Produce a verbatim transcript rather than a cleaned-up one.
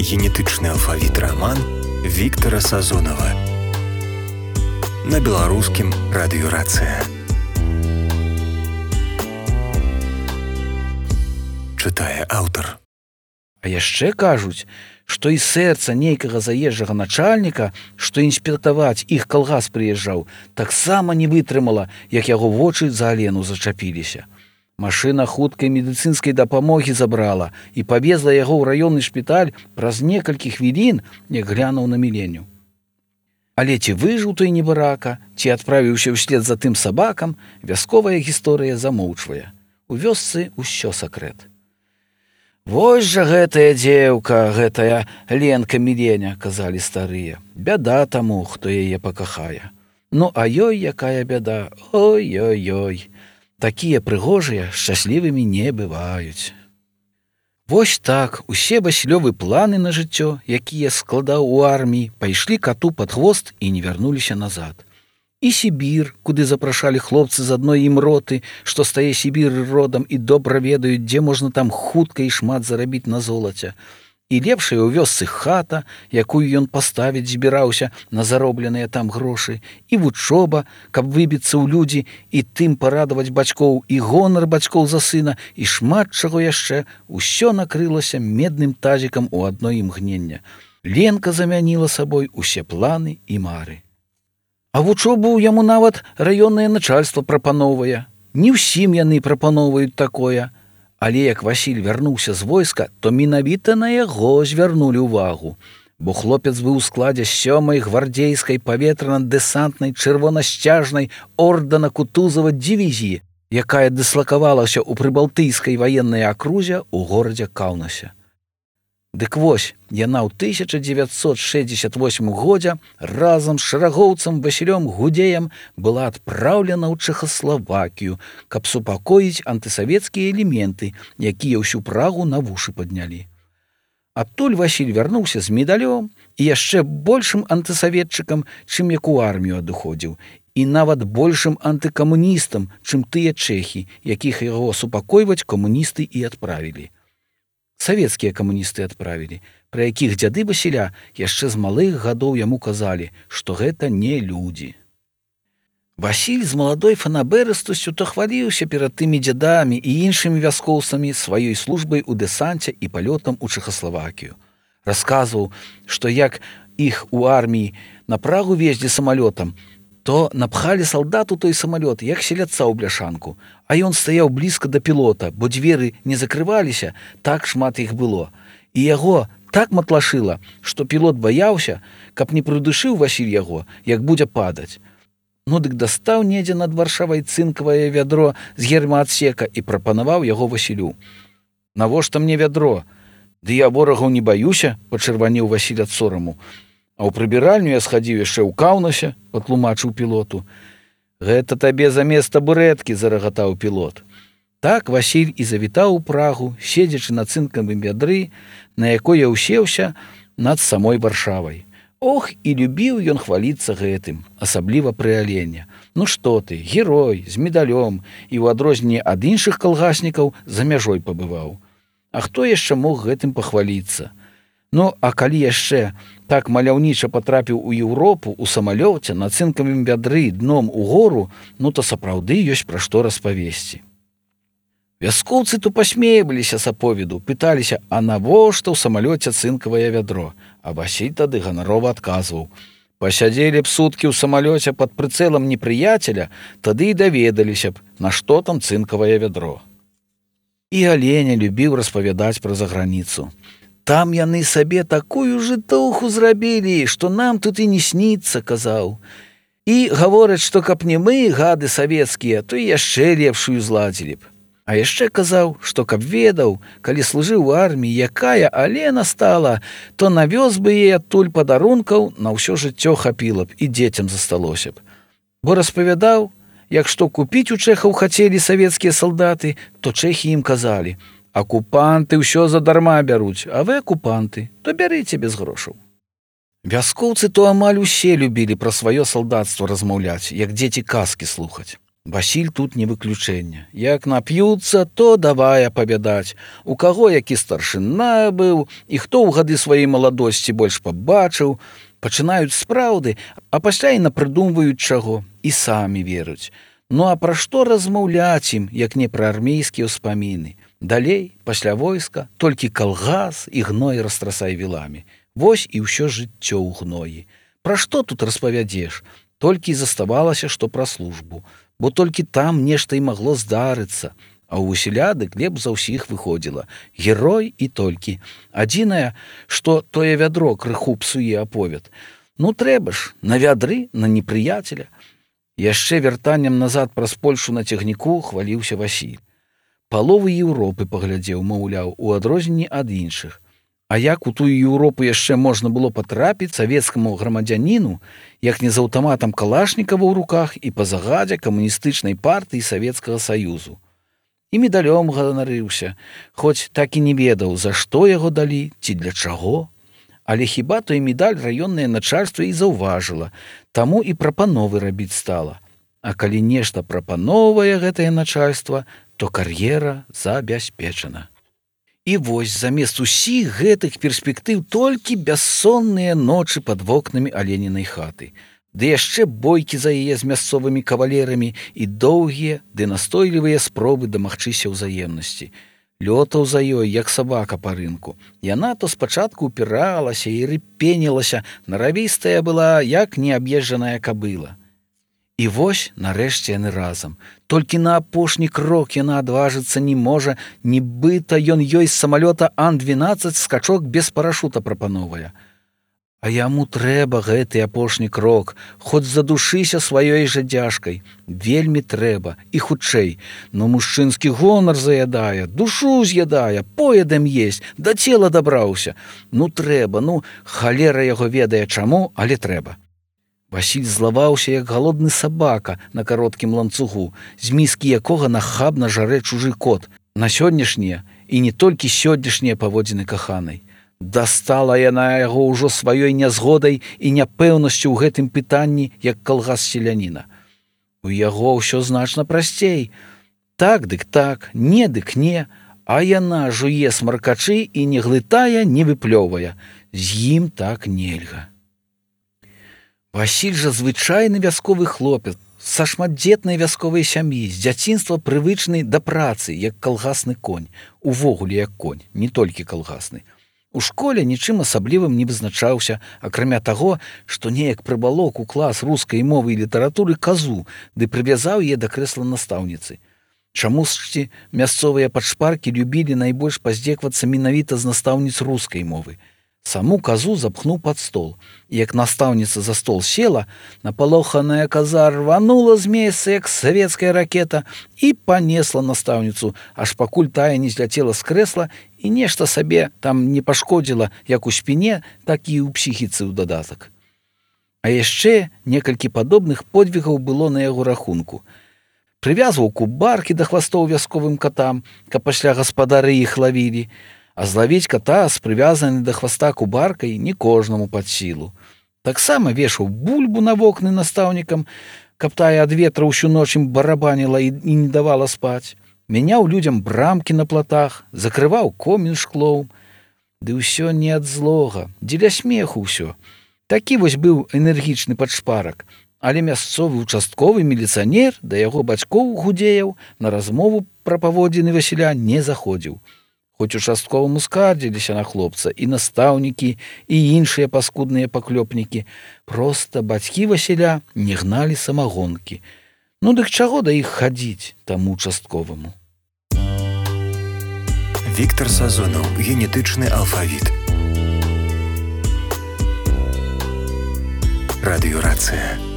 Генетычны алфавіт раман Віктара Сазонава на беларускім радыёрацыя. Чытае аўтар. А яшчэ кажуць, што і сэрца нейкага заезджага начальніка, што інспектаваць іх калгас прыязджаў, таксама не вытрымала, як яго вочы за Алену зачапіліся. Машына хуткай медыцынскай дапамогі забрала і павезла яго ў раённы шпіталь праз некалькі хвілін, як глянуў на Міленю. Але ці выжыў той небарака, ці адправіўся ўслед за тым сабакам, вясковая гісторыя замоўчвае. У вёсцы ўсё сакрэт. «Вось жа гэтая дзеўка, гэтая Ленка Міленя», — казалі старыя. «Бяда таму, хто яе пакахае. Ну, а ёй якая бяда, ой-ой-ой. Такія прыгожыя шчаслівымі не бываюць». Вось так усе Васілёвы планы на жыццё, якія складаў у арміі, пайшлі кату пад хвост і не вярнуліся назад. І Сібір, куды запрашалі хлопцы з адной ім роты, што стае Сібір родам і добра ведаюць, дзе можна там хутка і шмат зарабіць на золаце. І лепшая ў вёсцы хата, якую ён паставіць збіраўся на заробленыя там грошы, і вучоба, каб выбіцца ў людзі і тым парадаваць бацькоў, і гонар бацькоў за сына, і шмат чаго яшчэ, усё накрылася медным тазікам у адно імгнення. Ленка замяніла сабой усе планы і мары. А вучобу яму нават раённае начальства прапаноўвае. Не ўсім яны прапаноўваюць такое. Але як Васіль вярнуўся з войска, то менавіта на яго звярнулі ўвагу, бо хлопец быў у складзе сёмай гвардзейскай паветрана-дэсантнай чырвонасцяжнай ордэна Кутузава дывізіі, якая дыслакавалася ў прыбалтыйскай ваеннай акрузе ў горадзе Каўнасе. Дык вось, яна ў тысяча дзевяцьсот шэсцьдзесят восьмым годзе разам з шэрагоўцам Васілём Гудзеем была адпраўлена ў Чэхаславакію, каб супакоіць антысавецкія элементы, якія ўсю Прагу на вушы паднялі. Адтуль Васіль вярнуўся з медалём і яшчэ большым антысаветчыкам, чым як у армію адыходзіў, і нават большым антыкамуністам, чым тыя чэхі, якіх яго супакойваць камуністы і адправілі. Савецкія камуністы адправілі, пра якіх дзяды Васіля яшчэ з малых гадоў яму казалі, што гэта не людзі. Васіль з маладой фанабэрыстасцю то хваліўся перад тымі дзядамі і іншымі вяскоўцамі сваёй службай у дэсанце і палётам у Чэхаславакію. Расказваў, што як іх у арміі на Прагу везлі самалётам, то напхалі салдат у той самалёт, як селядца ў бляшанку, а ён стаяў блізка да пілота, бо дзверы не закрываліся, так шмат іх было. І яго так матлашыла, што пілот баяўся, каб не прыдушыў Васіль яго, як будзе падаць. Ну дык дастаў недзе над Варшавай цынкавае вядро з гермаадсека і прапанаваў яго Васілю. «Навошта мне вядро? Ды я ворагаў не баюся», — пачырванеў Васіль ад сораму. «А ў прыбіральню я схадзіў яшчэ ў Каўнасе», — патлумачыў пілоту. «Гэта табе замест табурэткі», — зарагатаў пілот. Так Васіль і завітаў у Прагу, седзячы на цынкавым вядры, на якое ўсеўся над самой Варшавай. Ох, і любіў ён хваліцца гэтым, асабліва пры Алене. Ну што ты, герой, з медалём, і ў адрозненне ад іншых калгаснікаў за мяжой пабываў. А хто яшчэ мог гэтым пахваліцца? Ну, а калі яшчэ так маляўніча патрапіў у Еўропу ў самалёце на цынкавым вядры дном у гору, ну то сапраўды ёсць пра што распавесці. Вяскоўцы то пасмейваліся з аповеду, пыталіся, а навошта ў самалёце цынкавае вядро? А Васіль тады ганарова адказваў: «Пасядзелі б суткі ў самалёце пад прыцэлам непрыяцеля, тады і даведаліся б, на што там цынкавае вядро». І Аленя любіў распавядаць пра заграніцу. «Там яны сабе такую жытуху зрабілі, што нам тут і не сніцца», — казаў. «І гавораць, што каб не мы, гады савецкія, то і яшчэ лепшую зладзілі б. А яшчэ казаў, што каб ведаў, калі служыў у арміі, якая Алена стала, то навёз бы ей адтуль падарункаў на ўсё жыццё хапіла б і дзецям засталося б. Бо распавядаў, як што купіць у чэхаў хацелі савецкія салдаты, то чэхі ім казалі: «Акупанты ўсё задарма бяруць, а вы акупанты, то бярыце без грошаў». Вяскоўцы то амаль усе любілі пра сваё салдацтва размаўляць, як дзеці казкі слухаць. Васіль тут не выключэнне. Як нап'юцца, то давай апавядаць, у каго які старшына быў і хто ў гады сваёй маладосці больш пабачыў, пачынаюць з праўды, а пасля і напрыдумваюць чаго, і самі веруць. Ну а пра што размаўляць ім, як не пра армейскія ўспаміны? Далей, пасля войска, толькі калгас і гной растрасай віламі. Вось і ўсё жыццё ў гноі. Пра што тут распавядзеш? Толькі і заставалася, што пра службу. Бо толькі там нешта і магло здарыцца. А ў Васіля дык лепш за ўсіх выходзіла. Герой і толькі. Адзінае, што тое вядро крыху псуе аповед. Ну трэба ж, на вядры, на непрыяцеля. Яшчэ вяртаннем назад праз Польшу на цягніку хваліўся Васіль. Паловы Еўропы паглядзеў, маўляў, у адрозненні ад іншых. А як у тую Еўропу яшчэ можна было патрапіць савецкаму грамадзяніну, як не з аўтаматам Калашнікава ў руках і па загадзе камуністычнай партыі Савецкага Саюзу. І медалём ганарыўся, хоць так і не ведаў, за што яго далі ці для чаго. Але хіба той медаль раённае начальства і заўважыла, таму і прапановы рабіць стала. А калі нешта прапановае гэтае начальства, то кар'ера забяспечана. І вось замест усіх гэтых перспектыў толькі бяссонныя ночы пад вокнамі Аленінай хаты. Ды яшчэ бойкі за яе з мясцовымі кавалерамі і доўгія, ды настойлівыя спробы дамагчыся ўзаемнасці. Лётаў за ёй, як сабака па рынку. Яна то спачатку упіралася і рыпенілася, наравістая была, як неаб'езджаная кабыла. І вось, нарэшце, яны разам. Толькі на апошні крок яна адважыцца не можа, нібыта ён ёй з самалёта Ан двенаццаць скачок без парашута прапановае. А яму трэба гэты апошні крок, хоць задушыся сваёй жа дзяжкай. Вельмі трэба, і хутчэй. Но мужчынскі гонар заядае, душу з'ядае, поедам есть, да цела дабраўся. Ну трэба, ну, халера яго ведае чаму, але трэба. Васіль злаваўся, як галодны сабака на кароткім ланцугу, з міскі якога нахабна жарэ чужы кот. На сённяшнія і не толькі сённяшнія паводзіны каханай. Дастала яна яго ўжо сваёй нязгодай і няпэўнасцю ў гэтым пытанні, як калгас селяніна. У яго ўсё значна прасцей. Так дык так, не дык не, а яна жуе смаркачы і не глытае, не выплёвае. З ім так нельга. Васіль жа звычайны вясковы хлопец, са шматдзетнай вясковай сям'і, з дзяцінства прывычны да працы, як калгасны конь, увогуле як конь, не толькі калгасны. У школе нічым асаблівым не вызначаўся, акрамя таго, што неяк прыбалок у клас рускай мовы і літаратуры казу, ды прывязаў яе да крэсла настаўніцы. Чамусьці мясцовыя падшпаркі любілі найбольш паздзеквацца менавіта з настаўніц рускай мовы. Саму казу запхнуў пад стол, і як настаўніца за стол села, напалоханая каза рванула з месца, як савецкая ракета, і панесла настаўніцу, аж пакуль тая не зляцела з крэсла і нешта сабе там не пашкодзіла як у спіне, так і ў псіхіцы ў дадатак. А яшчэ некалькі падобных подвігаў было на яго рахунку. Прывязваў кубаркі да хвастоў вясковым катам, каб пасля гаспадары іх лавілі, а злавіць ката з прывязанай да хваста кубаркай не кожнаму пад сілу. Таксама вешаў бульбу на вокны настаўнікам, каб тая ад ветра ўсю ноч ім барабаніла і не давала спаць. Мяняў людзям брамкі на платах, закрываў комін шклоў. Ды ўсё не ад злога, дзеля смеху ўсё. Такі вось быў энергічны падшпарак, але мясцовы участковы міліцыянер да яго бацькоў гудзеяў на размову пра паводзіны Васіля не заходзіў. Хоць участковаму скардзіліся на хлопца і настаўнікі, і іншыя паскудныя паклёпнікі, проста бацькі Васіля не гналі самагонкі. Ну дык чаго да іх хадзіць таму участковаму? Віктар Сазонаў, генетычны алфавіт. Радыёрацыя.